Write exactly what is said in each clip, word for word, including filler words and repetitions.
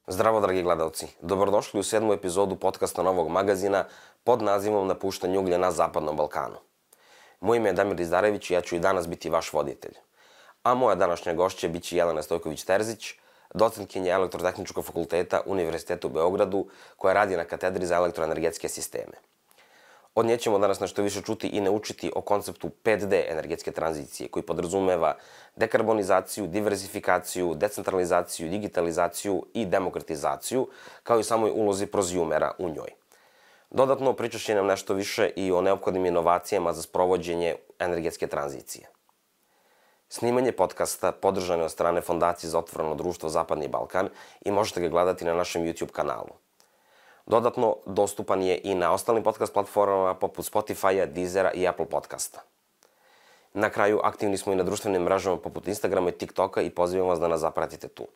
Zdravo, dragi gledalci. Dobrodošli u sedmu epizodu podcasta Novog magazina pod nazivom Napuštanje uglja na Zapadnom Balkanu. Moje ime je Damir Dizdarević i ja ću i danas biti vaš voditelj. A moja današnja gošća biće Jelena Stojković-Terzić, docentkinja Elektrotehničkog fakulteta Univerziteta u Beogradu, koja radi na katedri za elektroenergetske sisteme. Od nje ćemo danas nešto više čuti i naučiti o konceptu pet de energetske tranzicije, koji podrazumeva dekarbonizaciju, diversifikaciju, decentralizaciju, digitalizaciju i demokratizaciju, kao i samoj ulozi prozjumera u njoj. Dodatno, pričat će nam nešto više i o neophodnim inovacijama za sprovođenje energetske tranzicije. Snimanje podcasta podržano je od strane Fondacije za otvoreno društvo Zapadni Balkan i možete ga gledati na našem YouTube kanalu. Dodatno, dostupan je i na ostalim podcast platformama poput Spotify-a, Deezera i Apple podcasta. Na kraju, aktivni smo i na društvenim mrežama poput Instagrama i TikToka i pozivam vas da nas zapratite tu.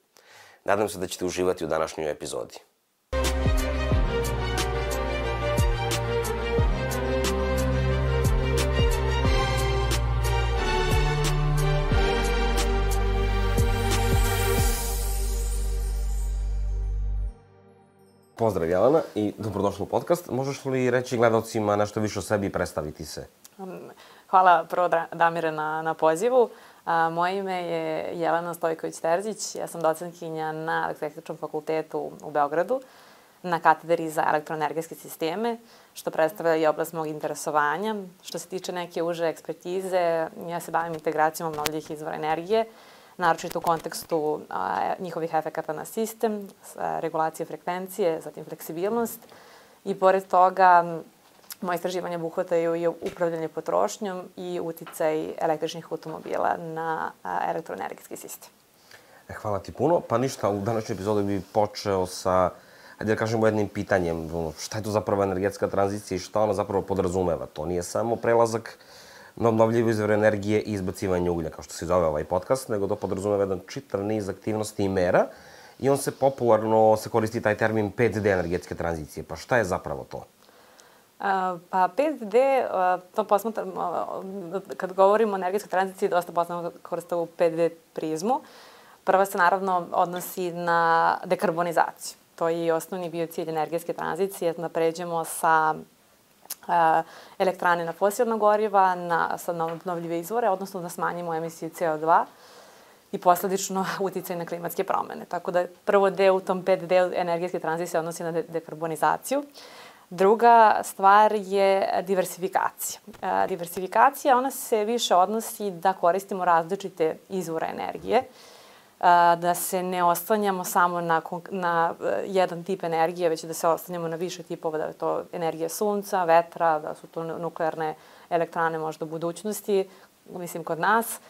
Nadam se da ćete uživati u današnjoj epizodi. Pozdrav Jelena i dobrodošli u podcast. Možeš li reći gledalcima nešto više o sebi i predstaviti se? Hvala prvo Damire na, na pozivu. A, moje ime je Jelena Stojković-Terzić. Ja sam docentkinja na Elektrotehničkom fakultetu u Beogradu na katedri za elektroenergetske sisteme, što predstavlja i oblast mog interesovanja. Što se tiče neke uže ekspertize, ja se bavim integracijom obnovljivih izvora energije, naročito u kontekstu a, njihovih efekata na sistem, a, regulacije frekvencije, zatim fleksibilnost. I pored toga, moje istraživanje obuhvataju i upravljanje potrošnjom i uticaj električnih automobila na a, elektroenergetski sistem. E, hvala ti puno. Pa ništa, u današnjoj epizodi bih počeo sa, ajde da kažemo, jednim pitanjem. Šta je to zapravo energetska tranzicija i šta ona zapravo podrazumeva? To nije samo prelazak na obnovljive izvore energije i izbacivanje uglja, kao što se zove ovaj podcast, nego to podrazumeva jedan čitav niz aktivnosti i mera i on se popularno se koristi taj termin pet de energetske tranzicije. Pa šta je zapravo to? Pa pet de, to posmatramo, kad govorimo o energetskoj tranziciji, dosta posmatramo koriste u pet de prizmu. Prva se naravno odnosi na dekarbonizaciju. To je i osnovni bio cilj energetske tranzicije, da pređemo sa elektrane na fosilna goriva, na, na obnovljive izvore, odnosno da smanjimo emisiju ce o dva i posledično uticaj na klimatske promene. Tako da prvo deo u tom pet de energetske tranzicije odnosi na de dekarbonizaciju. Druga stvar je diversifikacija. E, diversifikacija, ona se više odnosi da koristimo različite izvore energije, da se ne oslanjamo samo na, na jedan tip energije, već da se oslanjamo na više tipova, da je to energija sunca, vetra, da su to nuklearne elektrane možda u budućnosti, mislim kod nas,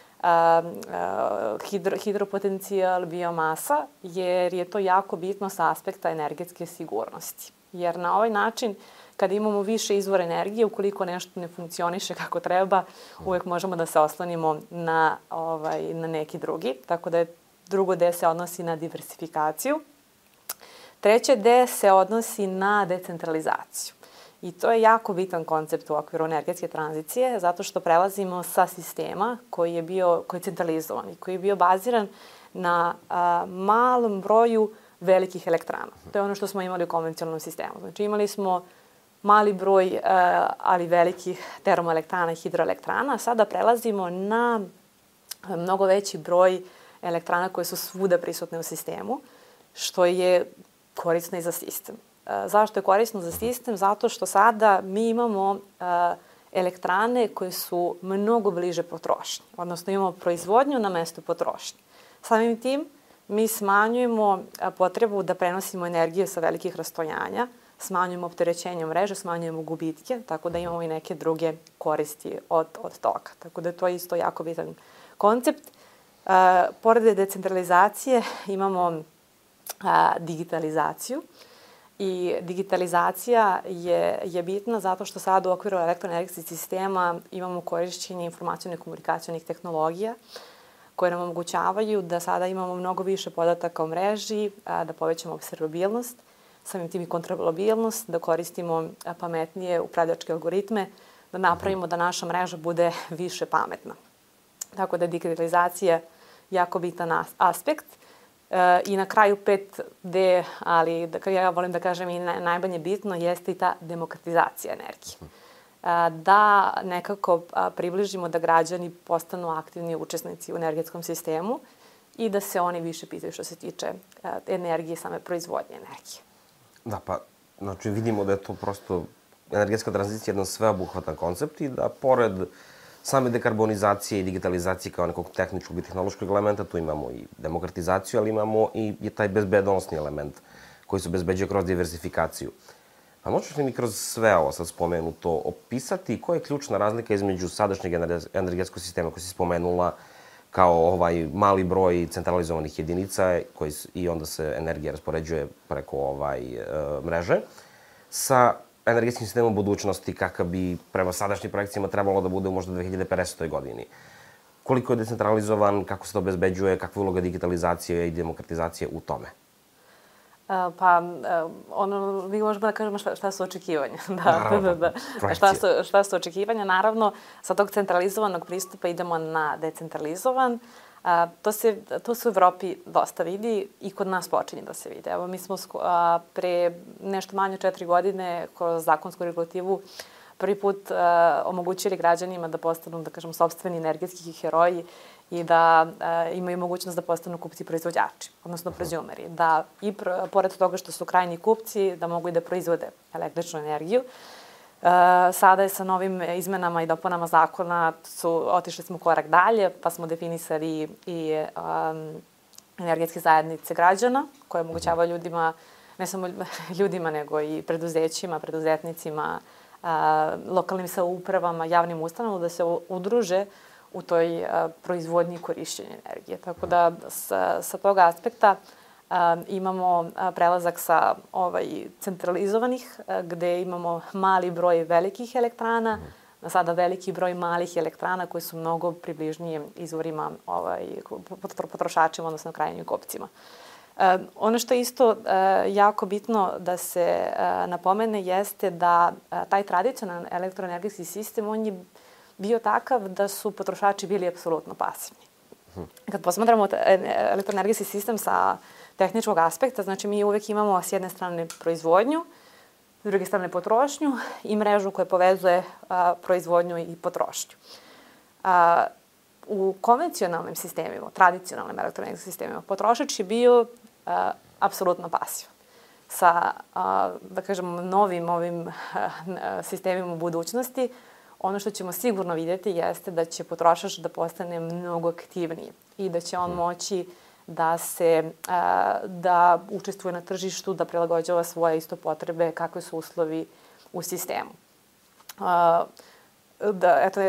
hidro, hidropotencijal, biomasa, jer je to jako bitno sa aspekta energetske sigurnosti. Jer na ovaj način, kada imamo više izvora energije, ukoliko nešto ne funkcioniše kako treba, uvek možemo da se oslonimo na, ovaj, na neki drugi. Tako da je drugo de se odnosi na diversifikaciju. Treće de se odnosi na decentralizaciju. I to je jako bitan koncept u okviru energetske tranzicije, zato što prelazimo sa sistema koji je bio koji je centralizovan i koji je bio baziran na a, malom broju velikih elektrana. To je ono što smo imali u konvencionalnom sistemu. Znači imali smo mali broj, a, ali velikih termoelektrana i hidroelektrana. Sada prelazimo na mnogo veći broj elektrana koje su svuda prisutne u sistemu, što je korisno i za sistem. Zašto je korisno za sistem? Zato što sada mi imamo elektrane koje su mnogo bliže potrošnji, odnosno imamo proizvodnju na mestu potrošnje. Samim tim mi smanjujemo potrebu da prenosimo energiju sa velikih rastojanja, smanjujemo opterećenje mreže, smanjujemo gubitke, tako da imamo i neke druge koristi od, od toga. Tako da je to isto jako bitan koncept. Uh, pored decentralizacije imamo uh, digitalizaciju i digitalizacija je, je bitna zato što sad u okviru elektroenergetskih sistema imamo korišćenje informacijone komunikacionih tehnologija koje nam omogućavaju da sada imamo mnogo više podataka o mreži, uh, da povećamo observabilnost, samim tim i kontrolabilnost, da koristimo uh, pametnije upravljačke algoritme, da napravimo da naša mreža bude više pametna. Tako da je digitalizacija jako bitan aspekt. I na kraju pet D, ali da, ja volim da kažem i najmanje bitno, jeste i ta demokratizacija energije. Da nekako približimo da građani postanu aktivni učesnici u energetskom sistemu i da se oni više pitaju što se tiče energije, same proizvodnje energije. Da, pa znači vidimo da je to prosto energetska tranzicija jedan sveobuhvatan koncept i da pored same dekarbonizacije i digitalizacije kao nekog tehničkog i tehnološkog elementa, tu imamo i demokratizaciju, ali imamo i taj bezbednosni element koji se obezbeđuje kroz diversifikaciju. Pa možeš li mi kroz sve ovo sad spomenuto opisati koja je ključna razlika između sadašnjeg energetskog sistema koji si spomenula kao ovaj mali broj centralizovanih jedinica koji, i onda se energija raspoređuje preko ovaj, mreže, sa energetskim sistemom budućnosti kakav bi prema sadašnjim projekcijama trebalo da bude u možda dve hiljade pedesetoj godini. Koliko je decentralizovan, kako se to obezbeđuje, kakva je uloga digitalizacije i demokratizacije u tome? Pa, ono, mi možemo da kažemo šta, šta su očekivanja. Da, da, da. Šta su, šta su očekivanja? Naravno, sa tog centralizovanog pristupa idemo na decentralizovan. A, to, se, to se u Evropi dosta vidi i kod nas počinje da se vidi. Evo, mi smo a, pre nešto manje od četiri godine kroz zakonsku regulativu prvi put a, omogućili građanima da postanu, da kažem, sopstveni energetski heroji i da a, imaju mogućnost da postanu kupci proizvođači, odnosno prozumeri. Da i pro, pored toga što su krajnji kupci, da mogu i da proizvode električnu energiju. Uh, sada je sa novim izmenama i dopunama zakona su, otišli smo korak dalje, pa smo definisali i um, energetske zajednice građana koje omogućavaju ljudima, ne samo ljudima, nego i preduzećima, preduzetnicima, uh, lokalnim samoupravama, javnim ustanovama da se udruže u toj uh, proizvodnji i korišćenju energije. Tako da sa, sa tog aspekta Uh, imamo uh, prelazak sa ovaj, centralizovanih, uh, gde imamo mali broj velikih elektrana, na sada veliki broj malih elektrana koji su mnogo približnije izvorima ovaj, potrošačima, odnosno krajnjim kupcima. Uh, ono što je isto uh, jako bitno da se uh, napomene jeste da uh, taj tradicionalni elektroenergetski sistem, on je bio takav da su potrošači bili apsolutno pasivni. Kad posmatramo elektroenergetski sistem sa tehničkog aspekta, znači mi uvek imamo s jedne strane proizvodnju, s druge strane potrošnju i mrežu koja povezuje a, proizvodnju i potrošnju. A, u konvencionalnim sistemima, tradicionalnim elektroenergetskim sistemima, potrošač je bio a, apsolutno pasivan. Sa, a, da kažemo, novim ovim a, sistemima u budućnosti, ono što ćemo sigurno vidjeti jeste da će potrošač da postane mnogo aktivniji i da će on moći da se, da učestvuje na tržištu, da prilagođava svoje isto potrebe, kakve su uslovi u sistemu. Da, eto,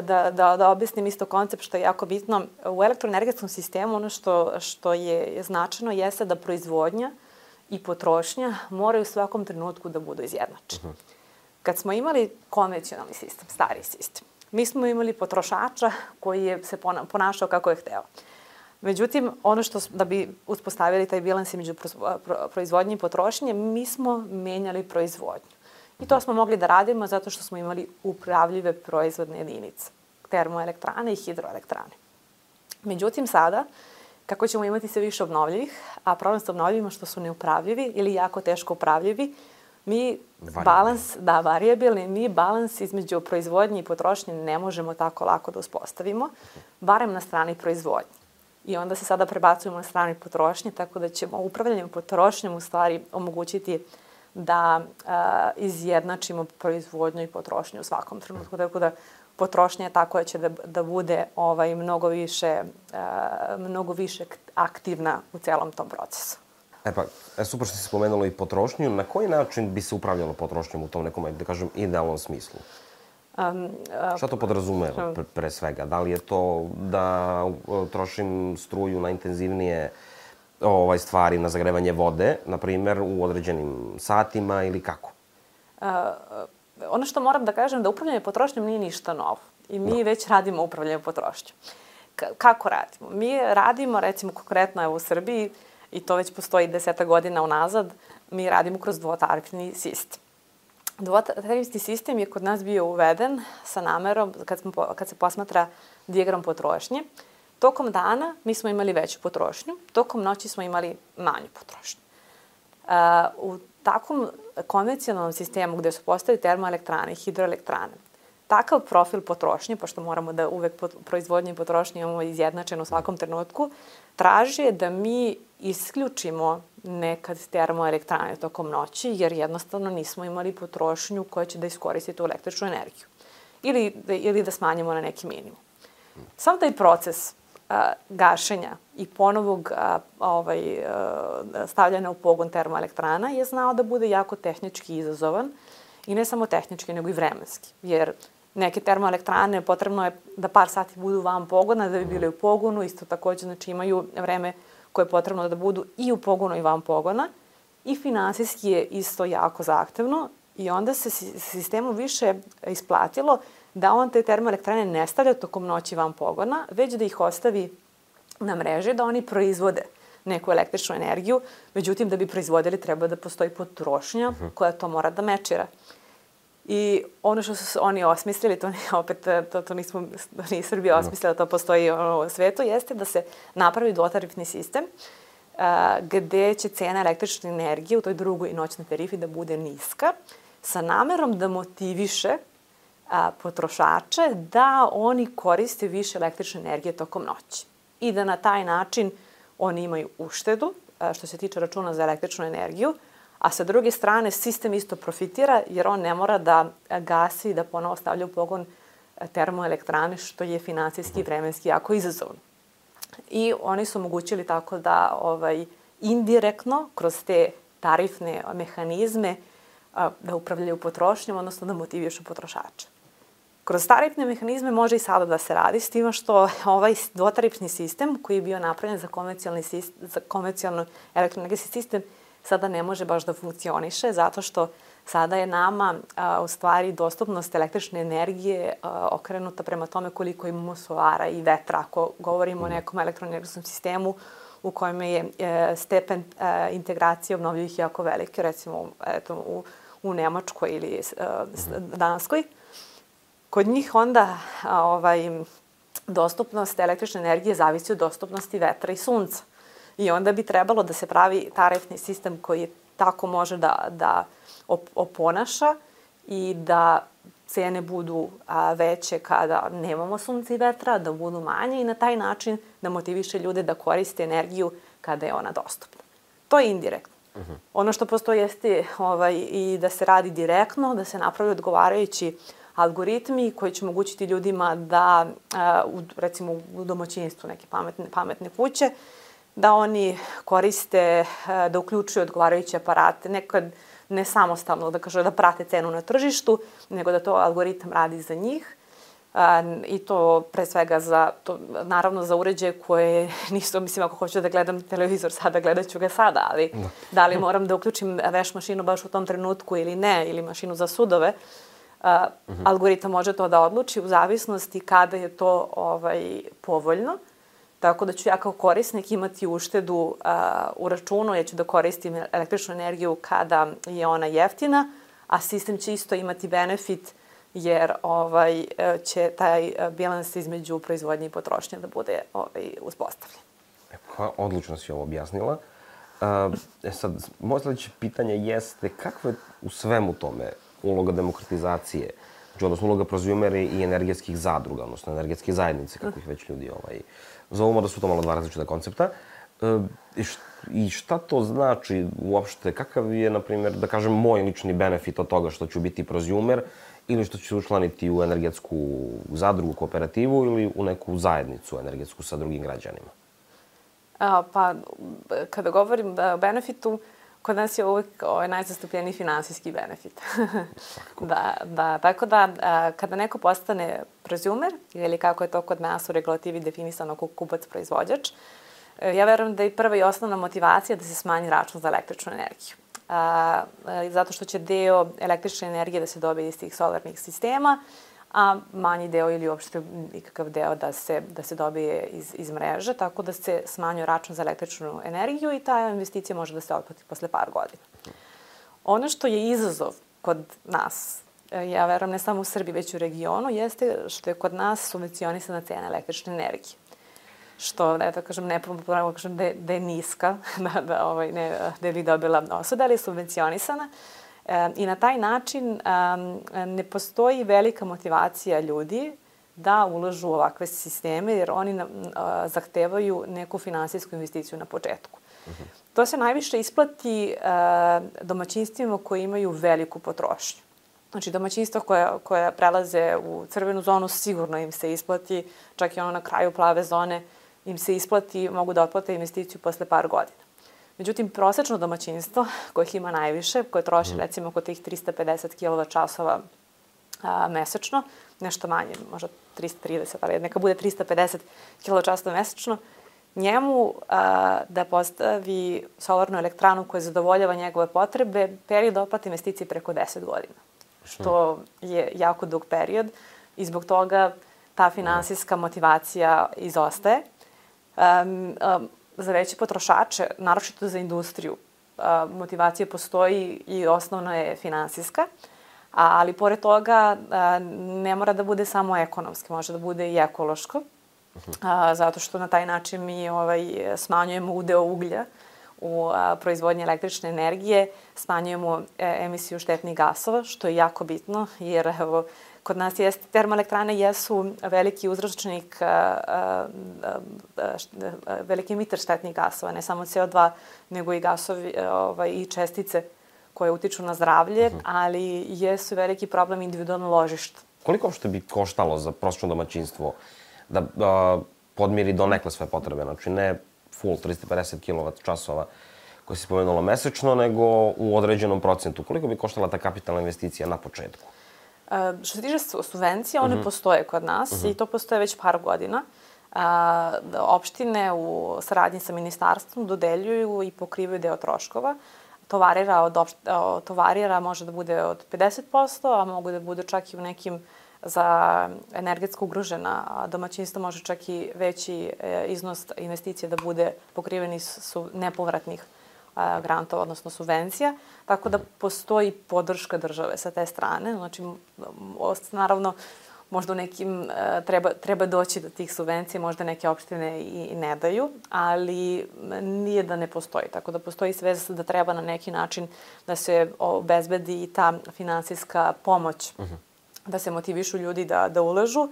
da, da, da objasnim isto koncept što je jako bitno. U elektroenergetskom sistemu ono što, što je značajno jeste da proizvodnja i potrošnja moraju u svakom trenutku da budu izjednačene. Kad smo imali konvencionalni sistem, stari sistem, mi smo imali potrošača koji je se ponašao kako je hteo. Međutim, ono što, da bi uspostavili taj bilans između proizvodnje i potrošnje, mi smo menjali proizvodnju. I to smo mogli da radimo zato što smo imali upravljive proizvodne jedinice, termoelektrane i hidroelektrane. Međutim, sada, kako ćemo imati sve više obnovljivih, a problem sa obnovljivima što su neupravljivi ili jako teško upravljivi, mi balans, da, varijabilni, mi balans između proizvodnje i potrošnje ne možemo tako lako da uspostavimo, barem na strani proizvodnje. I onda se sada prebacujemo na strani potrošnje, tako da ćemo upravljanjem potrošnjom u stvari omogućiti da a, izjednačimo proizvodnju i potrošnju u svakom trenutku. Tako da potrošnja je tako da će da, da bude ovaj, mnogo, više, a, mnogo više aktivna u celom tom procesu. E pa, e, super što si spomenula i potrošnju. Na koji način bi se upravljalo potrošnjom u tom nekom, da kažem, idealnom smislu? Um, uh, Šta to podrazumeva pre, pre svega? Da li je to da uh, trošim struju na intenzivnije ovaj, stvari, na zagrevanje vode, na primjer, u određenim satima ili kako? Uh, ono što moram da kažem, da upravljanje potrošnjom nije ništa novo. I mi no. već radimo upravljanje potrošnjom. K kako radimo? Mi radimo, recimo, konkretno evo, u Srbiji, i to već postoji deseta godina unazad, mi radimo kroz dvotarifni sistem. Dvotarifni sistem je kod nas bio uveden sa namerom, kad, smo, kad se posmatra dijagram potrošnje, Tokom dana mi smo imali veću potrošnju, tokom noći smo imali manju potrošnju. U takvom konvencionalnom sistemu gde su postavili termoelektrane i hidroelektrane, takav profil potrošnje, pošto moramo da uvek proizvodnje i potrošnje imamo izjednačeno u svakom trenutku, traži da mi isključimo nekad termoelektrane tokom noći, jer jednostavno nismo imali potrošnju koja će da iskoristi tu električnu energiju. Ili, ili da smanjimo na neki minimum. Sam taj proces a, gašenja i ponovog a, ovaj, a, stavljanja u pogon termoelektrana je znao da bude jako tehnički izazovan i ne samo tehnički, nego i vremenski. Jer neke termoelektrane potrebno je da par sati budu van pogona da bi bile u pogonu, isto takođe znači imaju vreme koje je potrebno da budu i u pogonu i van pogona i finansijski je isto jako zahtevno i onda se sistemu više isplatilo da on te termoelektrane ne stavlja tokom noći van pogona, već da ih ostavi na mreži, da oni proizvode neku električnu energiju. Međutim, da bi proizvodili treba da postoji potrošnja koja to mora da mečira. I ono što su oni osmislili, to opet to, to nismo, ni Srbija osmislila, to postoji u svetu, jeste da se napravi dvotarifni sistem a, gde će cena električne energije u toj drugoj noćnoj tarifi da bude niska, sa namerom da motiviše a, potrošače da oni koriste više električne energije tokom noći. I da na taj način oni imaju uštedu, a, što se tiče računa za električnu energiju, a sa druge strane sistem isto profitira jer on ne mora da gasi i da ponovo stavlja u pogon termoelektrane, što je finansijski i vremenski jako izazovno. I oni su omogućili tako da ovaj, indirektno kroz te tarifne mehanizme a, da upravljaju potrošnjom, odnosno da motivišu potrošača. Kroz tarifne mehanizme može i sada da se radi, s tim što ovaj dvotarifni sistem koji je bio napravljen za konvencionalni sistem, za konvencionalni elektroenergetski sistem sada ne može baš da funkcioniše, zato što sada je nama a, u stvari dostupnost električne energije a, okrenuta prema tome koliko imamo solara i vetra. Ako govorimo o nekom elektroenergetskom sistemu u kojem je e, stepen e, integracije obnovljivih jako veliki, recimo eto, u, u Nemačkoj ili e, Danskoj, kod njih onda a, ovaj, dostupnost električne energije zavisi od dostupnosti vetra i sunca. I onda bi trebalo da se pravi tarifni sistem koji tako može da, da oponaša i da cene budu a, veće kada nemamo sunca i vetra, da budu manje i na taj način da motiviše ljude da koriste energiju kada je ona dostupna. To je indirektno. Uh-huh. Ono što postoji jeste ovaj, i da se radi direktno, da se napravi odgovarajući algoritmi koji će omogućiti ljudima da, a, u, recimo u domaćinstvu neke pametne, pametne kuće, da oni koriste, da uključuju odgovarajuće aparate, nekad ne samostalno, da kaže da prate cenu na tržištu, nego da to algoritam radi za njih. I to pre svega za, to, naravno za uređaje koje nisu, mislim ako hoću da gledam televizor sada, gledat ću ga sada, ali no. Da li moram da uključim veš mašinu baš u tom trenutku ili ne, ili mašinu za sudove, uh, uh-huh. Algoritam može to da odluči u zavisnosti kada je to ovaj, povoljno. Tako da ću ja kao korisnik imati uštedu uh, u računu, ja ću da koristim električnu energiju kada je ona jeftina, a sistem će isto imati benefit jer ovaj, će taj bilans između proizvodnje i potrošnje da bude ovaj, uspostavljen. E, odlično si ovo objasnila. Uh, e sad, moje sledeće pitanje jeste kakva je u svemu tome uloga demokratizacije, znači, odnosno uloga prozumera i energetskih zadruga, odnosno energetske zajednice, kako ih već ljudi ovaj, zovemo, da su to malo dva različita koncepta. Uh, I šta to znači uopšte, kakav je, na primjer, da kažem, moj lični benefit od toga što ću biti prozumer ili što ću se učlaniti u energetsku zadrugu, kooperativu ili u neku zajednicu energetsku sa drugim građanima? A, pa, kada govorim o benefitu, kod nas je uvek ovaj, najzastupljeniji finansijski benefit. da, da, tako da, a, kada neko postane prozumer, ili kako je to kod nas u regulativi definisano kao kupac-proizvođač, ja verujem da je prva i osnovna motivacija da se smanji račun za električnu energiju. A, zato što će deo električne energije da se dobije iz tih solarnih sistema, a manji deo ili uopšte nikakav deo da se, da se dobije iz, iz mreže, tako da se smanjuje račun za električnu energiju i ta investicija može da se otplati posle par godina. Ono što je izazov kod nas, ja verujem ne samo u Srbiji, već u regionu, jeste što je kod nas subvencionisana cena električne energije. što, ne da kažem, nepopularno kažem da je, da je niska, da, da, ovaj, ne, da bi dobila osuda, ali je subvencionisana. E, I na taj način um, ne postoji velika motivacija ljudi da ulažu u ovakve sisteme, jer oni na, a, zahtevaju neku finansijsku investiciju na početku. Uh-huh. To se najviše isplati a, domaćinstvima koji imaju veliku potrošnju. Znači, domaćinstva koja, koja prelaze u crvenu zonu, sigurno im se isplati, čak i ono na kraju plave zone, im se isplati, mogu da otplate investiciju posle par godina. Međutim, prosečno domaćinstvo, kojih ima najviše, koje troši, mm. recimo, oko tih trista pedeset kilovat časova a, mesečno, nešto manje, možda trista trideset, ali neka bude trista pedeset kilovat časova mesečno, njemu a, da postavi solarnu elektranu koja zadovoljava njegove potrebe, period otplate investicije preko deset godina. Što je jako dug period i zbog toga ta finansijska motivacija izostaje. Um, um, za veće potrošače, naročito za industriju, uh, motivacija postoji i osnovna je finansijska, ali pored toga uh, ne mora da bude samo ekonomski, može da bude i ekološko, uh, zato što na taj način mi ovaj, smanjujemo udeo uglja u a, proizvodnji električne energije, smanjujemo e, emisiju štetnih gasova, što je jako bitno, jer evo, kod nas jest, termoelektrane jesu veliki uzročnik, a, a, a, št, a, veliki emiter štetnih gasova, ne samo C O dva, nego i gasovi ovaj, i čestice koje utiču na zdravlje, uh-huh. ali jesu veliki problem individualno ložišta. Koliko uopšte bi koštalo za prosječno domaćinstvo da a, podmiri donekle sve potrebe? Znači, ne full trista pedeset kilovat časova koje si spomenula mesečno, nego u određenom procentu. Koliko bi koštala ta kapitalna investicija na početku? Uh, što se tiče subvencija, one uh-huh. postoje kod nas uh-huh. i to postoje već par godina. Uh, opštine u saradnji sa ministarstvom dodeljuju i pokrivaju deo troškova. To varira, od opšt- to varira može da bude od pedeset posto, a mogu da bude čak i u nekim za energetsko ugrožena domaćinstva može čak i veći iznos investicije da bude pokriven iz su nepovratnih grantova, odnosno subvencija. Tako da postoji podrška države sa te strane. Znači, naravno, možda u nekim treba, treba doći do tih subvencija, možda neke opštine i ne daju, ali nije da ne postoji. Tako da postoji svest da treba na neki način da se obezbedi i ta finansijska pomoć, uh-huh. da se motivišu ljudi da, da ulažu. Uh,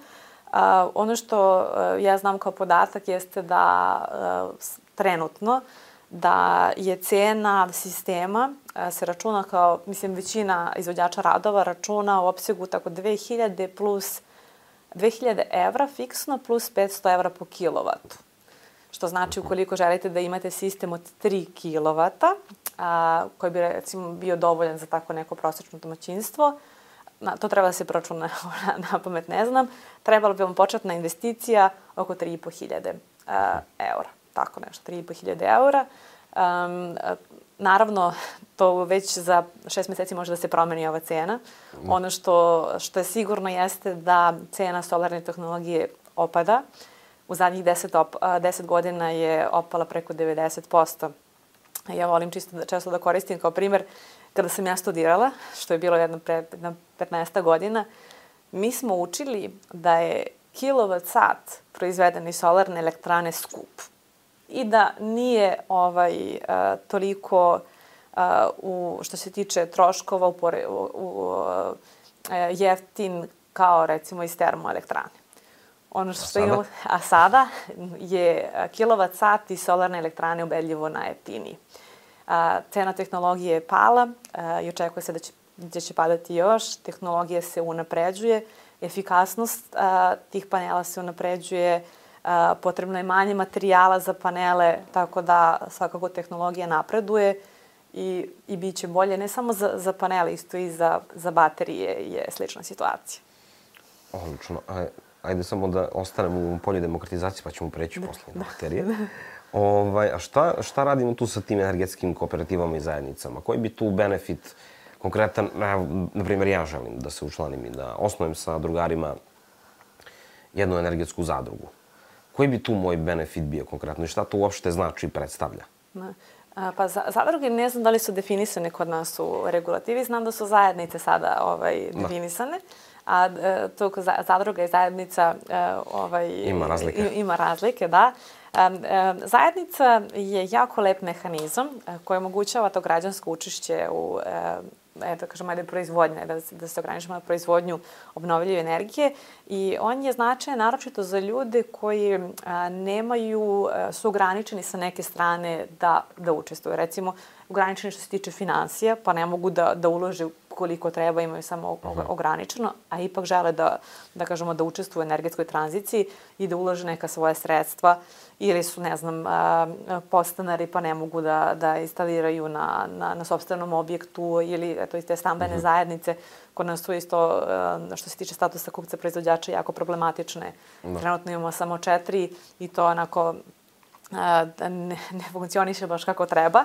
ono što uh, ja znam kao podatak jeste da uh, trenutno da je cena sistema uh, se računa kao, mislim, većina izvođača radova računa u opsegu tako dve hiljade plus dve hiljade evra fiksno plus petsto evra po kilovatu. Što znači ukoliko želite da imate sistem od tri kilovata, a, koji bi recimo bio dovoljan za tako neko prosječno domaćinstvo, na, to treba da se proračuna, na pamet ne znam, trebala bi vam početna investicija oko tri i po hiljade eura. Tako nešto, tri i po hiljade eura. Um, naravno, to već za šest meseci može da se promeni ova cena. Mm. Ono što, što je sigurno jeste da cena solarne tehnologije opada. U zadnjih deset, op, deset godina je opala preko devedeset posto. Ja volim čisto da, često da koristim kao primer kada sam ja studirala, što je bilo jedno pre petnaest godina, mi smo učili da je kilovat sat proizveden iz solarne elektrane skup i da nije ovaj, uh, toliko uh, u, što se tiče troškova u, u, u, uh, jeftin kao recimo iz termoelektrane. Ono što a sada? Imamo, a sada je kilovat sat iz solarne elektrane ubedljivo najjeftiniji. A, cena tehnologije je pala a, i očekuje se da će, da će padati još. Tehnologija se unapređuje, efikasnost a, tih panela se unapređuje, a, potrebno je manje materijala za panele, tako da svakako tehnologija napreduje i, i bit će bolje ne samo za, za panele, isto i za, za baterije je slična situacija. Odlično. Ajde samo da ostanemo u polju demokratizacije pa ćemo preći posle na baterije. Ovaj, a šta, šta radimo tu sa tim energetskim kooperativama i zajednicama? Koji bi tu benefit konkretan, na primjer ja želim da se učlanim i da osnujem sa drugarima jednu energetsku zadrugu. Koji bi tu moj benefit bio konkretno i šta to uopšte znači i predstavlja? Ne. Pa zadruge ne znam da li su definisane kod nas u regulativi, znam da su zajednice sada ovaj, definisane, a to zadruga i zajednica ovaj, ima razlike. Ima razlike, da. Zajednica je jako lep mehanizam koji omogućava to građansko učešće u da kažem, ajde proizvodnje, da, da se ograničimo na proizvodnju obnovljive energije i on je značajan naročito za ljude koji a, nemaju, a, su ograničeni sa neke strane da, da učestvuju. Recimo, ograničeni što se tiče finansija, pa ne mogu da, da ulože koliko treba, imaju samo ograničeno, a ipak žele da, da kažemo, da učestvuju u energetskoj tranziciji i da ulože neka svoja sredstva ili su, ne znam, podstanari pa ne mogu da, da instaliraju na, na, na sopstvenom objektu ili eto, iz te stambene uh-huh. zajednice. Kod nas su isto, što se tiče statusa kupca proizvođača, jako problematične. Da. Trenutno imamo samo četiri i to onako ne, ne funkcioniše baš kako treba.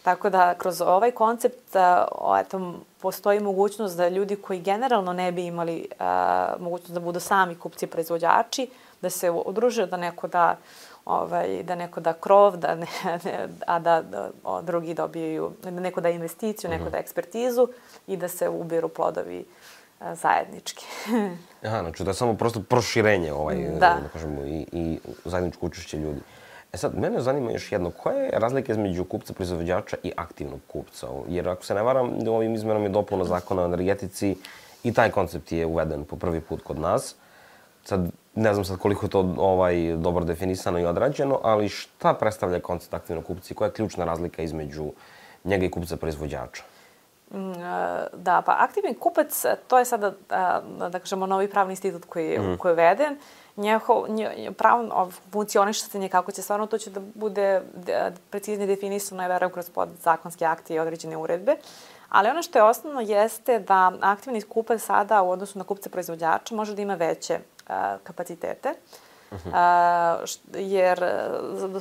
Tako da kroz ovaj koncept o, eto, postoji mogućnost da ljudi koji generalno ne bi imali a, mogućnost da budu sami kupci proizvođači, da se udruže, da neko da, ovaj, da, neko da krov, da ne, ne, a da, da o, drugi dobijaju, da neko da investiciju, neko da ekspertizu i da se ubiru plodovi a, zajednički. Aha, znači da je samo prosto proširenje ovaj, da. Da kažemo, i, i zajedničko učešće ljudi. E sad, mene zanima još jedno, koja je razlika između kupca proizvođača i aktivnog kupca? Jer ako se ne varam, ovim izmenama i dopuna zakona o energetici i taj koncept je uveden po prvi put kod nas. Sad, ne znam sad koliko je to ovaj, dobro definisano i odrađeno, ali šta predstavlja koncept aktivnog kupca i koja je ključna razlika između njega i kupca proizvođača? Da, pa aktivni kupac, to je sada, da kažemo, novi pravni institut koji, mm. koji je veden. Njehov, nje, pravno funkcioništenje kako će stvarno, to će da bude preciznije definisano, ja verujem, kroz podzakonske akte i određene uredbe. Ali ono što je osnovno jeste da aktivni kupac sada u odnosu na kupca proizvođača može da ima veće uh, kapacitete. Uh-huh. Uh, jer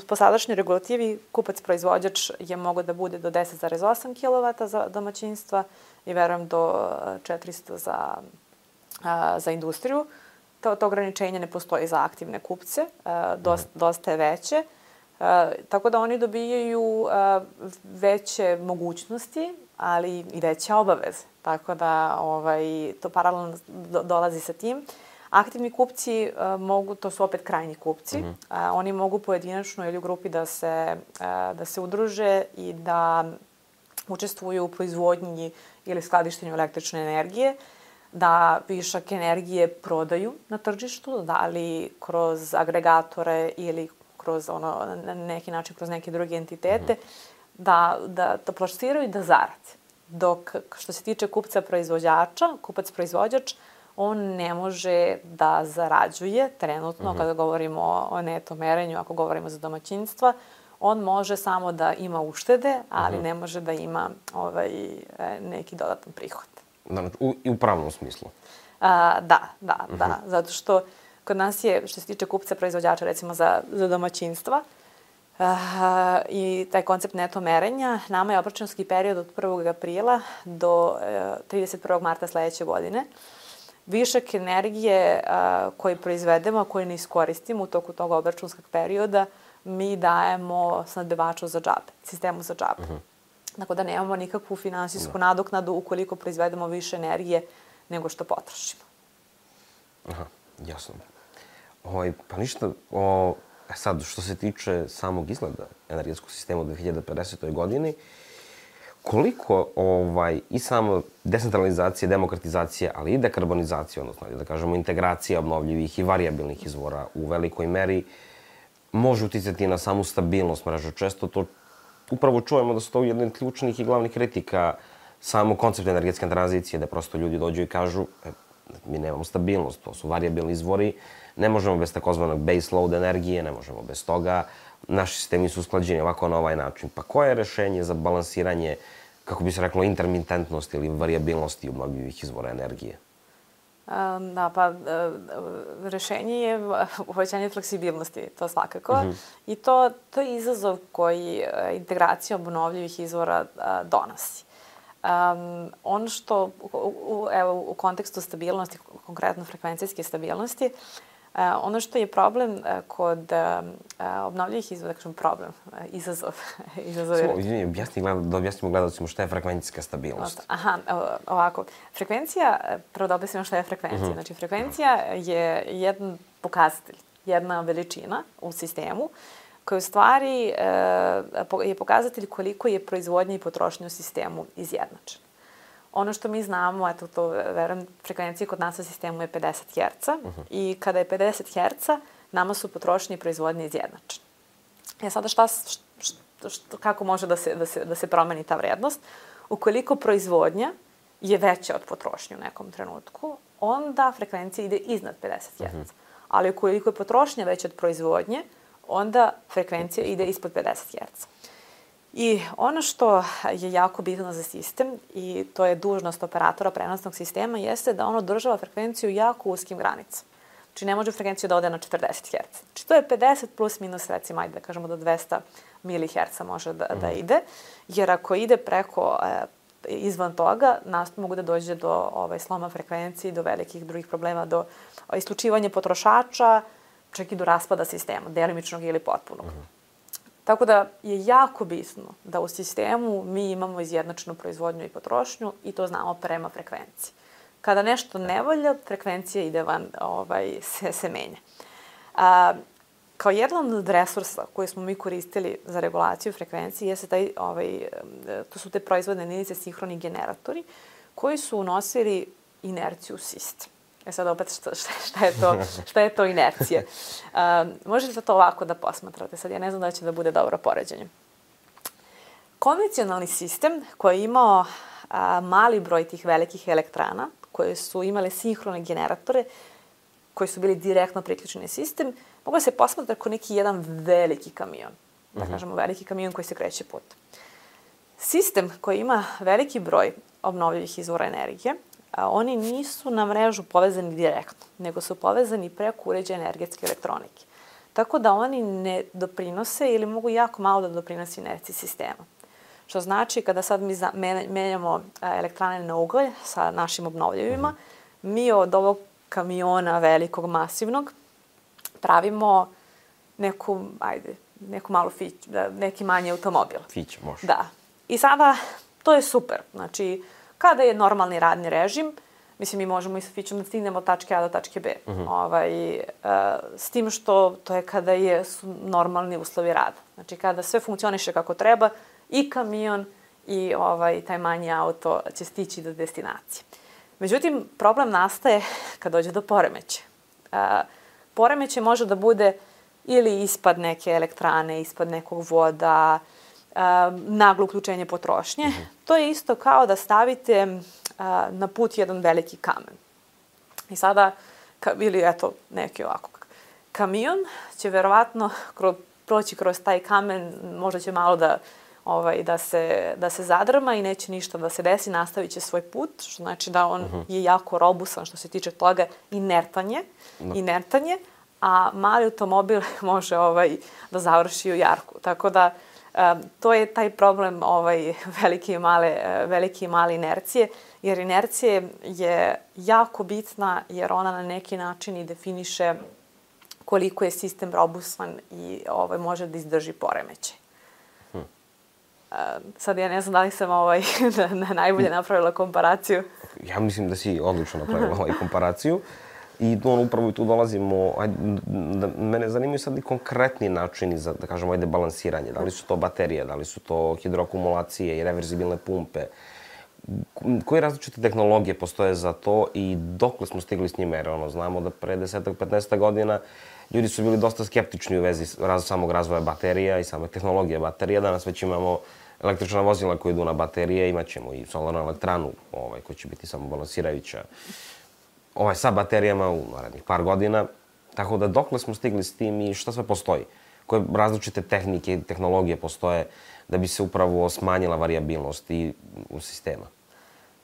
po sadašnjoj regulativi kupac-proizvođač je mogao da bude do deset zarez osam kilovata za domaćinstva i verujem do četiristo za, uh, za industriju. To, to ograničenje ne postoji za aktivne kupce, uh, dosta, uh-huh. dosta je veće. Uh, tako da oni dobijaju uh, veće mogućnosti, ali i veće obaveze. Tako da ovaj, to paralelno do, dolazi sa tim. Aktivni kupci uh, mogu, to su opet krajnji kupci, mm-hmm. uh, oni mogu pojedinačno ili u grupi da se, uh, da se udruže i da učestvuju u proizvodnji ili skladištenju električne energije, da višak energije prodaju na tržištu, da li kroz agregatore ili kroz ono, na neki način kroz neke druge entitete, mm-hmm. da, da to plasiraju i da zarade. Dok što se tiče kupca-proizvođača, kupac-proizvođač, on ne može da zarađuje trenutno, uh-huh. kada govorimo o neto merenju, ako govorimo za domaćinstva, on može samo da ima uštede, ali uh-huh. ne može da ima ovaj, neki dodatan prihod. Da, u, i u pravnom smislu? A, da, da, uh-huh. da. Zato što kod nas je, što se tiče kupca-proizvođača, recimo za, za domaćinstva, Uh, i taj koncept neto merenja, nama je obračunski period od prvog aprila do uh, trideset prvog marta sledeće godine. Višak energije uh, koji proizvedemo, koji ne iskoristimo u toku tog obračunskog perioda, mi dajemo snabdevaču za džabe, sistemu za džabe. Uh-huh. Tako da nemamo nikakvu finansijsku no. nadoknadu ukoliko proizvedemo više energije nego što potrošimo. Aha, jasno. Oj, pa ništa, o... Sad, što se tiče samog izgleda energetskog sistema u dve hiljade pedesete. godini, koliko ovaj, i samo decentralizacija, demokratizacija, ali i dekarbonizacija, odnosno da kažemo integracija obnovljivih i variabilnih izvora u velikoj meri može uticati na samu stabilnost mreže. Često to upravo čujemo da su to jedne od ključnih i glavnih kritika samo koncepta energetske tranzicije, da prosto ljudi dođu i kažu e, mi nemamo stabilnost, to su variabilni izvori, ne možemo bez takozvanog base load energije, ne možemo bez toga. Naši sistemi su usklađeni ovako na ovaj način. Pa koje je rešenje za balansiranje, kako bi se reklo, intermitentnosti ili variabilnosti obnovljivih izvora energije? Um, da, pa uh, rešenje je uvećanje fleksibilnosti, to svakako. Uh-huh. I to, to je izazov koji uh, integracija obnovljivih izvora uh, donosi. Um, ono što, u, u, evo, u kontekstu stabilnosti, konkretno frekvencijske stabilnosti, Ono što je problem kod obnovljivih izvora, da kažem problem, izazov. izazov Samo, izvini, objasni, da objasnimo gledalcima šta je frekvencijska stabilnost. Aha, ovako. Frekvencija, prvo da objasnimo šta je frekvencija. Uh-huh. Znači, frekvencija je jedan pokazatelj, jedna veličina u sistemu koja u stvari je pokazatelj koliko je proizvodnja i potrošnja u sistemu izjednačena. Ono što mi znamo, eto to verujem, frekvencija kod nas u sistemu je pedeset herca uh-huh. i kada je pedeset herca, nama su potrošnje i proizvodnje izjednačene. E sada šta, šta, šta, kako može da se, da, se, da se promeni ta vrednost? Ukoliko proizvodnja je veća od potrošnje u nekom trenutku, onda frekvencija ide iznad pedeset herca. Uh-huh. Ali ukoliko je potrošnja veća od proizvodnje, onda frekvencija ide ispod pedeset herca. I ono što je jako bitno za sistem, i to je dužnost operatora prenosnog sistema, jeste da on održava frekvenciju jako uskim granicama. Znači, ne može frekvenciju da ode na četrdeset herca. Znači, to je pedeset plus minus, recimo, ajde da kažemo do dvesta miliherca može da, da ide, jer ako ide preko, e, izvan toga, nastup mogu da dođe do ovaj, sloma frekvencije, do velikih drugih problema, do isključivanja potrošača, čak i do raspada sistema, delimičnog ili potpunog. Uh-huh. Tako da je jako bitno da u sistemu mi imamo izjednačenu proizvodnju i potrošnju i to znamo prema frekvenciji. Kada nešto ne valja, frekvencija ide van, ovaj, se, se menja. A, kao jedan od resursa koje smo mi koristili za regulaciju frekvencije jeste taj, ovaj, to su te proizvodne jedinice sinhroni generatori koji su unosili inerciju u sistem. E sad opet šta, šta, je, to, šta je to inercija? Um, možete to ovako da posmatrate. Sad ja ne znam da će da bude dobro poređenje. Konvencionalni sistem koji je imao a, mali broj tih velikih elektrana, koje su imale sinhrone generatore, koji su bili direktno priključeni sistem, mogu da se posmatrati kao neki jedan veliki kamion. Da kažemo veliki kamion koji se kreće putem. Sistem koji ima veliki broj obnovljivih izvora energije, a oni nisu na mrežu povezani direktno, nego su povezani preko uređaja energetske elektronike. Tako da oni ne doprinose ili mogu jako malo da doprinose inerciji sistema. Što znači, kada sad mi menjamo elektrane na ugalj sa našim obnovljivima, mi od ovog kamiona velikog, masivnog, pravimo neku, ajde, neku malu fić, neki manji automobil. Fić, može. Da. I sada, to je super. Znači, kada je normalni radni režim, mislim, mi možemo i sa fićom da stignemo od tačke A do tačke B. Uh-huh. Ovaj, uh, s tim što to je kada je, su normalni uslovi rada. Znači, kada sve funkcioniše kako treba, i kamion i ovaj, taj manji auto će stići do destinacije. Međutim, problem nastaje kad dođe do poremeća. Uh, poremeće može da bude ili ispad neke elektrane, ispad nekog voda, uh, naglo uključenje potrošnje. Uh-huh. To je isto kao da stavite uh, na put jedan veliki kamen. I sada, ka, ili eto, neki ovako. Kamion će verovatno kroz, proći kroz taj kamen, možda će malo da Ovaj, da, se, da se zadrma i neće ništa da se desi, nastavit će svoj put, što znači da on uh-huh. je jako robusan što se tiče toga, inertanje, no. inertanje, a mali automobil može ovaj, da završi u jarku. Tako da um, to je taj problem ovaj, velike, i male, velike i male inercije, jer inercija je jako bitna jer ona na neki način i definiše koliko je sistem robustan i ovaj, može da izdrži poremećaj. Uh, sad ja ne znam da li sam ovaj, na, na najbolje napravila komparaciju. Ja mislim da si odlično napravila ovaj komparaciju. I on, upravo i tu dolazimo, ajde, da, mene zanimaju sad i konkretni načini za, da kažemo, ajde, balansiranje. Da li su to baterije, da li su to hidroakumulacije i reverzibilne pumpe. Koje različite tehnologije postoje za to i dokle smo stigli s njima? Jer ono, znamo da pre desetak, petnaestak godina ljudi su bili dosta skeptični u vezi raz, samog razvoja baterija i same tehnologije baterija. Danas već imamo električna vozila koje idu na baterije, imat ćemo i solarnu elektranu ovaj, koja će biti samo balansirajuća ovaj, sa baterijama u narednih par godina. Tako da dokle smo stigli s tim i šta sve postoji? Koje različite tehnike i tehnologije postoje da bi se upravo smanjila varijabilnost i u sistema?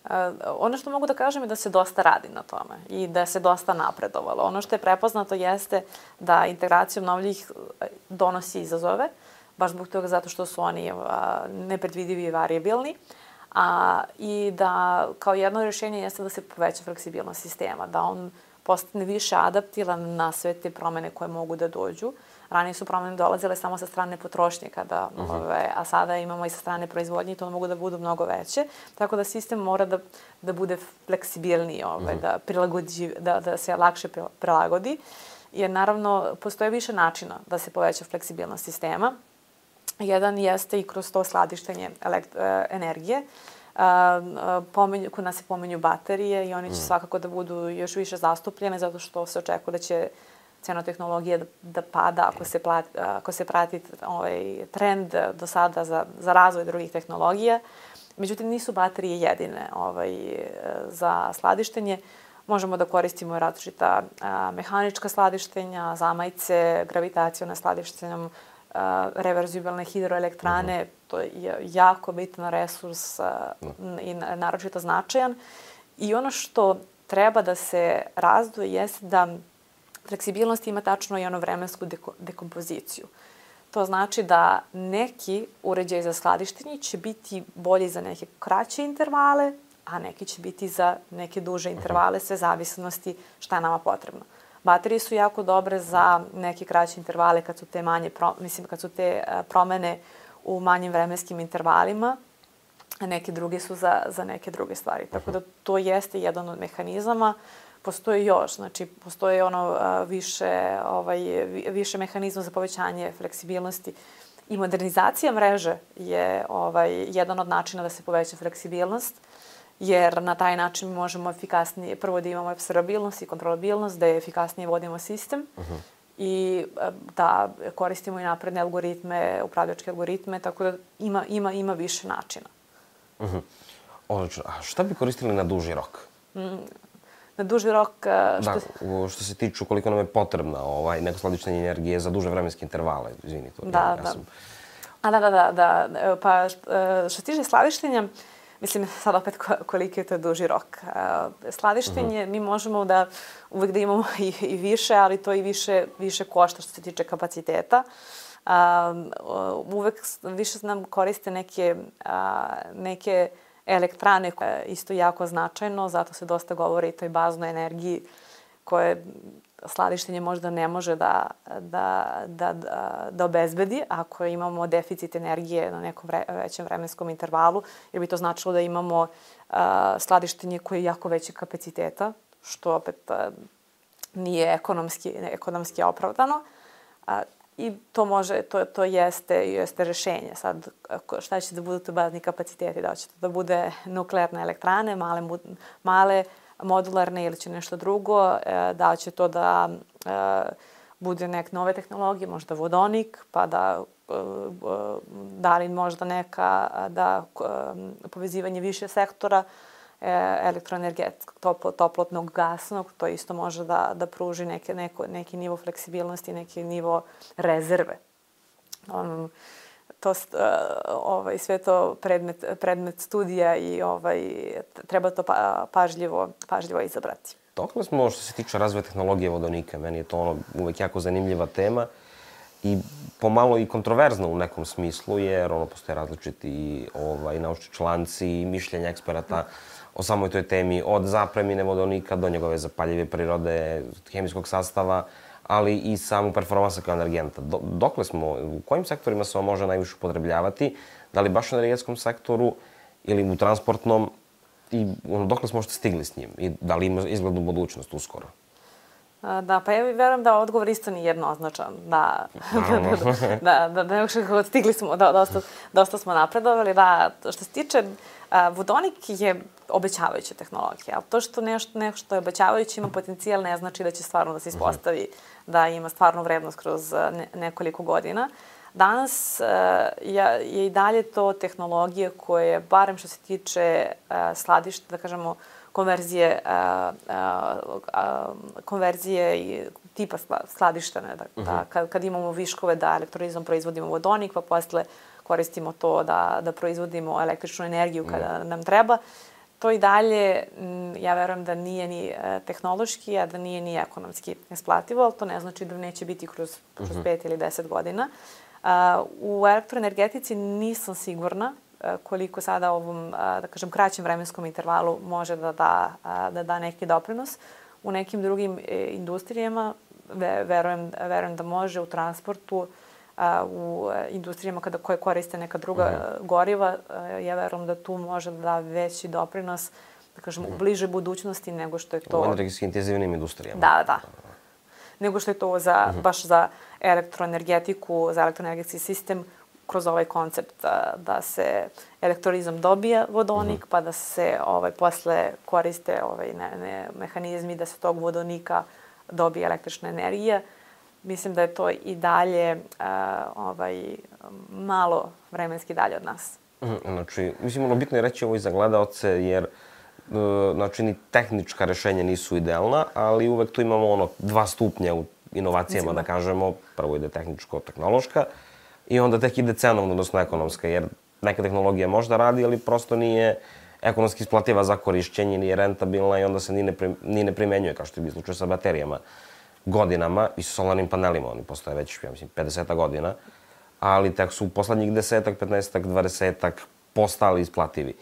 Uh, ono što mogu da kažem je da se dosta radi na tome i da se dosta napredovalo. Ono što je prepoznato jeste da integracija obnovljivih donosi izazove, baš zbog toga zato što su oni uh, nepredvidivi i varijabilni, a, i da kao jedno rješenje jeste da se poveća fleksibilnost sistema, da on postane više adaptivan na sve te promene koje mogu da dođu. Ranije su promene dolazile samo sa strane potrošnje, kada, uh-huh. ove, a sada imamo i sa strane proizvodnje i to mogu da budu mnogo veće. Tako da sistem mora da, da bude fleksibilniji, ove, uh-huh. da, prilagodi, da, da se lakše prilagodi. Jer naravno postoje više načina da se poveća fleksibilnost sistema. Jedan jeste i kroz to skladištenje elekt- energije. Uh, pomenju, kod nas se pomenju baterije i oni će mm. svakako da budu još više zastupljene zato što se očekuje da će cena tehnologije da, da pada ako se, plati, ako se prati ovaj trend do sada za, za razvoj drugih tehnologija. Međutim, nisu baterije jedine ovaj, za skladištenje. Možemo da koristimo različita a, mehanička skladištenja, zamajce, gravitaciona skladištenja, reverzibilne hidroelektrane, uh-huh. to je jako bitan resurs uh, i naročito značajan. I ono što treba da se razdvoji jeste da fleksibilnost ima tačno i ono vremensku deko- dekompoziciju. To znači da neki uređaj za skladištenje će biti bolji za neke kraće intervale, a neki će biti za neke duže intervale, sve zavisnosti šta je nama potrebno. Baterije su jako dobre za neke kraće intervale kad su te manje, pro, mislim kad su te promene u manjim vremenskim intervalima, a neke druge su za, za neke druge stvari. Tako da to jeste jedan od mehanizama. Postoji još, znači postoji ono više, ovaj, više mehanizma za povećanje fleksibilnosti. I modernizacija mreže je ovaj, jedan od načina da se poveća fleksibilnost, jer na taj način možemo efikasnije, prvo da imamo observabilnost i kontrolabilnost, da efikasnije vodimo sistem uh-huh. i da koristimo i napredne algoritme, upravljačke algoritme, tako da ima, ima, ima više načina. Uh-huh. Odlično. A šta bi koristili na duži rok? Mm, na duži rok... Što... Da, što se tiču koliko nam je potrebna ovaj, neko skladištenje energije za duže vremenske intervale. Izvini, to da, ja, da. ja sam... A da, da, da, da. Pa što se tiče skladištenja, mislim, sad opet koliki je to duži rok. Skladištenje, uh-huh. mi možemo da uvek da imamo i, i više, ali to i više, više košta što se tiče kapaciteta. Um, uvek više nam koriste neke, uh, neke elektrane koje je isto jako značajno, zato se dosta govori i toj baznoj energiji koje skladištenje možda ne može da, da, da, da, da obezbedi ako imamo deficit energije na nekom vre, većem vremenskom intervalu, jer bi to značilo da imamo uh, skladištenje koje je jako veće kapaciteta, što opet uh, nije ekonomski, ekonomski opravdano. Uh, I to može, to, to jeste, jeste rešenje. Sad, šta će da budu to bazni kapaciteti? Da će to da bude nuklearne elektrane, male, male modularne ili će nešto drugo, da će to da bude neke nove tehnologije, možda vodonik, pa da da li možda neka da povezivanje više sektora, elektroenergetskog, toplo, toplotnog, gasnog, to isto može da, da pruži neke, neko, neki nivo fleksibilnosti, neki nivo rezerve. Um, to, ovaj, sve to predmet, predmet studija i ovaj, treba to pa, pažljivo, pažljivo izabrati. Dokle smo što se tiče razvoja tehnologije vodonika? Meni je to ono uvek jako zanimljiva tema i pomalo i kontroverzna u nekom smislu, jer ono postoje različiti ovaj, naučni članci i mišljenja eksperata o samoj toj temi, od zapremine vodonika do njegove zapaljive prirode, hemijskog sastava, ali i samu performansa kao energenta. Do, dokle smo, u kojim sektorima se on može najviše upotrebljavati? Da li baš u energetskom sektoru ili u transportnom? I ono, dokle smo što stigli s njim? I da li ima izglednu budućnost uskoro? Da, pa ja verujem da odgovor isto nije jednoznačan. Da, da, da, da, da, stigli smo, da, dosta, dosta smo napredovali. Da, što se tiče, vodonik je obećavajuća tehnologija, ali to što nešto, nešto je obećavajuće ima potencijal ne znači da će stvarno da se ispostavi da ima stvarnu vrednost kroz ne, nekoliko godina. Danas je, je i dalje to tehnologija koja, barem što se tiče skladišta, da kažemo, konverzije, a, a, a, konverzije i tipa skladištene. Da, uh-huh. da, kad, kad imamo viškove da elektrolizom proizvodimo vodonik, pa posle koristimo to da, da proizvodimo električnu energiju kada uh-huh. nam treba. To i dalje, ja verujem da nije ni tehnološki, a da nije ni ekonomski isplativo, ali to ne znači da neće biti kroz, kroz uh-huh. pet ili deset godina. A, u elektroenergetici nisam sigurna koliko sada ovom, da kažem, kraćem vremenskom intervalu može da da, da da neki doprinos. U nekim drugim industrijama, verujem, verujem da može, u transportu, u industrijama kada, koje koriste neka druga uh-huh. goriva, ja verujem da tu može da da veći doprinos, da kažem, uh-huh. u bliže budućnosti nego što je to... U energetski intenzivnim industrijama. Da, da. Nego što je to za, uh-huh. baš za elektroenergetiku, za elektroenergetski sistem, kroz ovaj koncept da, da se elektrolizom dobija vodonik, uh-huh. pa da se ovaj, posle koriste ovaj, ne, ne, mehanizmi da se tog vodonika dobije električna energija. Mislim da je to i dalje uh, ovaj, malo vremenski dalje od nas. Uh-huh. Znači, mislim, ono bitno je reći ovo i za gledaoce, jer uh, znači, ni tehnička rešenja nisu idealna, ali uvek tu imamo ono dva stupnja u inovacijama, da kažemo. Prvo ide tehničko-tehnološka, i onda tek ide cenovno, odnosno ekonomska, jer neka tehnologija možda radi, ali prosto nije ekonomski isplativa za korišćenje, nije rentabilna i onda se ni ne, pri, ni ne primenjuje, kao što je bio slučaj sa baterijama godinama i sa solarnim panelima. Oni postoje već, ja mislim, pedeset godina, ali tek su u poslednjih desetak, petnaestak, dvadesetak postali isplativi.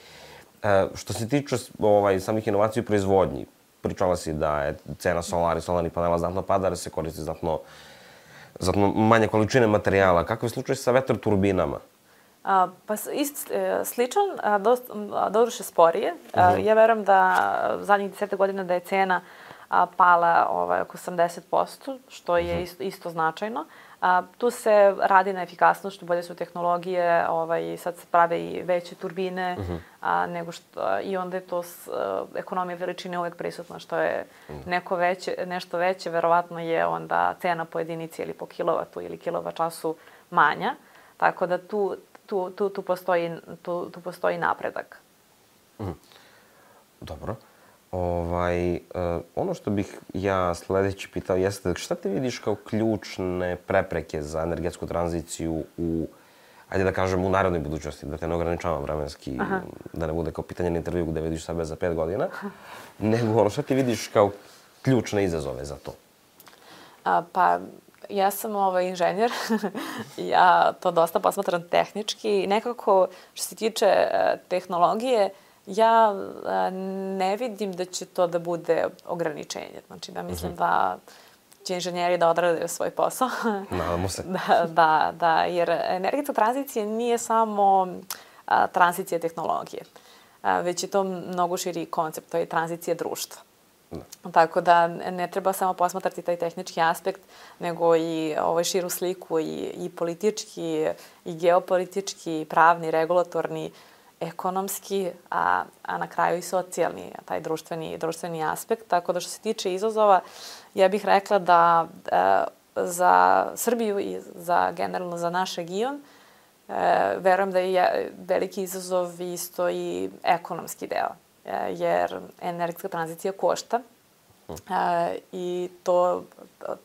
E, što se tiče ovaj, samih inovacija u proizvodnji, pričala si da je cena solara i solarnih panela znatno pada, da se koristi znatno Zato manje količine materijala. Kakav je slučaj sa vetroturbinama? A, pa ist, e, sličan, a, dost, a, doduše sporije. Uh-huh. Ja verujem da zadnjih deseta godina da je cena a, pala ovaj, oko osamdeset posto, što je uh-huh. isto, isto značajno. A, tu se radi na efikasnost, što bolje su tehnologije, ovaj, sad se prave i veće turbine, uh-huh. a, nego što, i onda je to s, a, ekonomija veličine uvek prisutna, što je uh-huh. neko veće, nešto veće, verovatno je onda cena po jedinici ili po kilovatu ili kilovat času manja. Tako da tu, tu, tu, tu, postoji, tu, tu postoji napredak. Uh-huh. Dobro. Ovaj, uh, ono što bih ja sledeći pitao jeste šta ti vidiš kao ključne prepreke za energetsku tranziciju u, ajde da kažem, u narednoj budućnosti, da te ne ograničavam vremenski, Aha. da ne bude kao pitanje na intervju gde vidiš sebe za pet godina, nego ono šta ti vidiš kao ključne izazove za to? A, pa, ja sam ovaj inženjer, ja to dosta posmatram tehnički i nekako što se tiče uh, tehnologije, ja ne vidim da će to da bude ograničenje. Znači da mislim uh-huh. da će inženjeri da odrade svoj posao. Nadamo se. da, da, da, jer energetska tranzicija nije samo a, tranzicija tehnologije, a, već je to mnogo širi koncept, to je tranzicija društva. Da. Tako da ne treba samo posmatrati taj tehnički aspekt, nego i ovaj širu sliku i, i politički, i geopolitički, i pravni, regulatorni, ekonomski, a, a na kraju i socijalni, taj društveni, društveni aspekt. Tako da što se tiče izazova, ja bih rekla da e, za Srbiju i za generalno za naš region, e, verujem da je veliki izazov isto i ekonomski deo, e, jer energetska tranzicija košta e, i to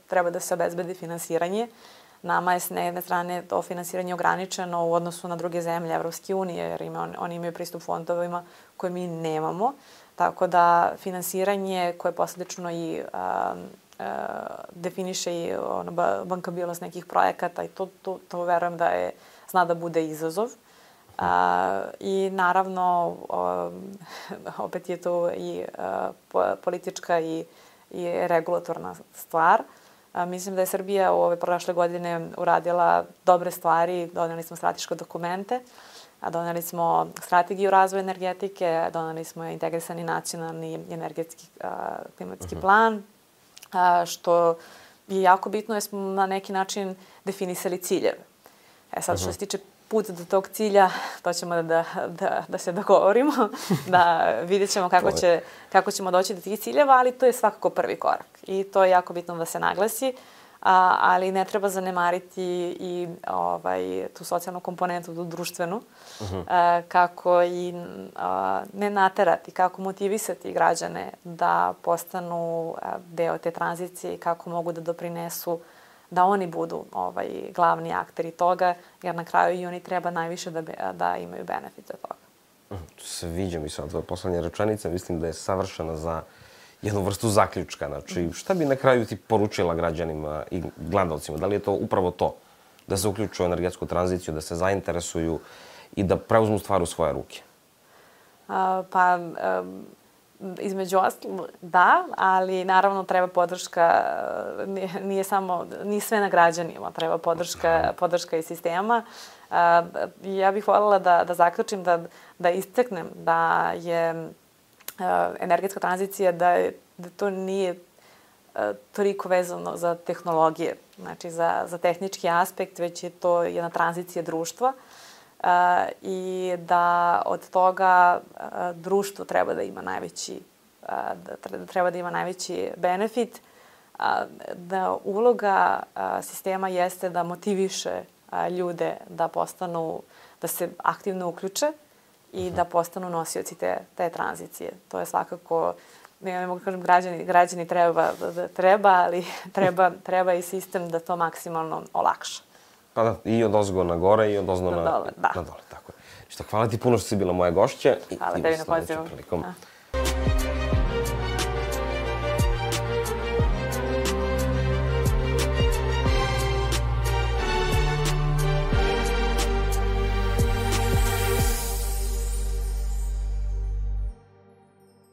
treba da se obezbedi finansiranje. Nama je s jedne strane to finansiranje ograničeno u odnosu na druge zemlje Evropske unije, jer ima, oni imaju pristup fondovima koje mi nemamo. Tako da finansiranje koje posljedično i a, a, definiše i ono, bankabilnost nekih projekata i to, to, to verujem da je, zna da bude izazov. A, I naravno, o, opet je to i a, politička i, i regulatorna stvar. A, mislim da je Srbija u ove prošle godine uradila dobre stvari, doneli smo strateške dokumente, a doneli smo strategiju razvoja energetike, doneli smo integrisani nacionalni energetski a, klimatski uh-huh. plan, a, što je jako bitno jer smo na neki način definisali ciljeve. E sad, uh-huh. što se tiče puta do tog cilja, to ćemo da, da, da, da se dogovorimo, da vidjet ćemo kako, će, kako ćemo doći do tih ciljeva, ali to je svakako prvi korak. I to je jako bitno da se naglasi, a, ali ne treba zanemariti i ovaj, tu socijalnu komponentu, tu društvenu, uh-huh. a, kako i a, ne naterati, kako motivisati građane da postanu a, deo te tranzicije i kako mogu da doprinesu da oni budu ovaj, glavni akteri toga, jer na kraju i oni treba najviše da, be, da imaju benefite od toga. Sviđa mi se ova poslednja rečenica, mislim da je savršena za jednu vrstu zaključka. Znači, šta bi na kraju ti poručila građanima i gledalcima? Da li je to upravo to? Da se uključuju u energetsku tranziciju, da se zainteresuju i da preuzmu stvar u svoje ruke? A, pa, a, Između ostalog, da, ali naravno treba podrška, nije, nije samo, nije sve na građanima, treba podrška, podrška i sistema. Ja bih voljela da, da zaključim, da, da istaknem da je energetska tranzicija, da, je, da to nije toliko vezano za tehnologije, znači za, za tehnički aspekt, već je to jedna tranzicija društva. Uh, i da od toga uh, društvo treba da ima najveći, uh, da treba da ima najveći benefit, uh, da uloga uh, sistema jeste da motiviše uh, ljude da postanu, da se aktivno uključe i uh-huh. da postanu nosioci te, te tranzicije. To je svakako, ne mogu kažem građani, građani treba, da treba, ali treba, treba i sistem da to maksimalno olakša. Pa da, i od ozgo na gore i od ozno na, na dole. Da. Na dole, tako je. Što, hvala ti puno što si bila moja gošća. Hvala tebi na pozivu.